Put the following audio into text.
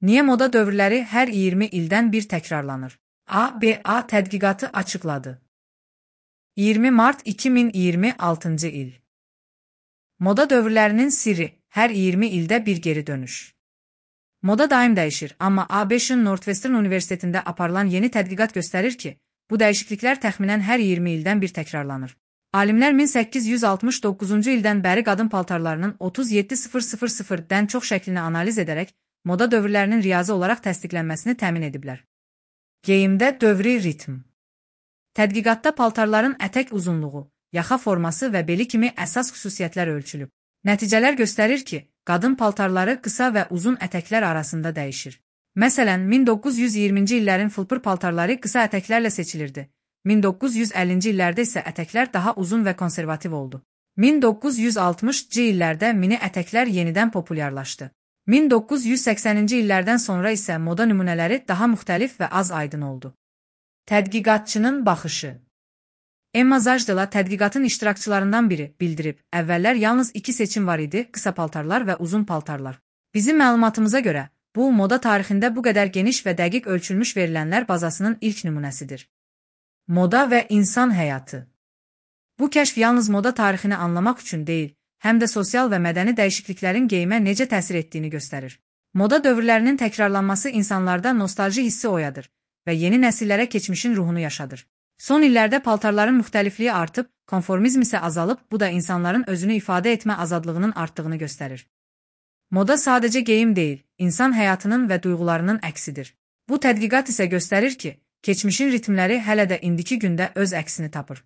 Niyə moda dövrləri hər 20 ildən bir təkrarlanır? ABA tədqiqatı açıqladı. 20 mart 2026 il. Moda dövrlərinin sirri hər 20 ildə bir geri dönüş. Moda daim dəyişir, amma ABŞ-ın Northwestern Universitetində aparılan yeni tədqiqat göstərir ki, bu dəyişikliklər təxminən hər 20 ildən bir təkrarlanır. Alimlər 1869-cu ildən bəri qadın paltarlarının 37000-dən çox şəklini analiz edərək, moda dövrlərinin riyazi olaraq təsdiqlənməsini təmin ediblər. Geyimdə dövri ritm. Tədqiqatda paltarların ətək uzunluğu, yaxa forması və beli kimi əsas xüsusiyyətlər ölçülüb. Nəticələr göstərir ki, qadın paltarları qısa və uzun ətəklər arasında dəyişir. Məsələn, 1920-ci illərin fılpır paltarları qısa ətəklərlə seçilirdi. 1950-ci illərdə isə ətəklər daha uzun və konservativ oldu. 1960-cı illərdə mini ətəklər yenidən populyarlaşdı. 1980-ci illərdən sonra isə moda nümunələri daha müxtəlif və az aydın oldu. Tədqiqatçının baxışı. Emma Zajdela tədqiqatın iştirakçılarından biri bildirib, əvvəllər yalnız iki seçim var idi, qısa paltarlar və uzun paltarlar. Bizim məlumatımıza görə, bu moda tarixində bu qədər geniş və dəqiq ölçülmüş verilənlər bazasının ilk nümunəsidir. Moda və insan həyatı. Bu kəşf yalnız moda tarixini anlamaq üçün deyil, həm də sosial və mədəni dəyişikliklərin geyimə necə təsir etdiyini göstərir. Moda dövrlərinin təkrarlanması insanlarda nostalji hissi oyadır və yeni nəsillərə keçmişin ruhunu yaşadır. Son illərdə paltarların müxtəlifliyi artıb, konformizm isə azalıb, bu da insanların özünü ifadə etmə azadlığının artdığını göstərir. Moda sadəcə geyim deyil, insan həyatının və duyğularının əksidir. Bu tədqiqat isə göstərir ki, keçmişin ritmləri hələ də indiki gündə öz əksini tapır.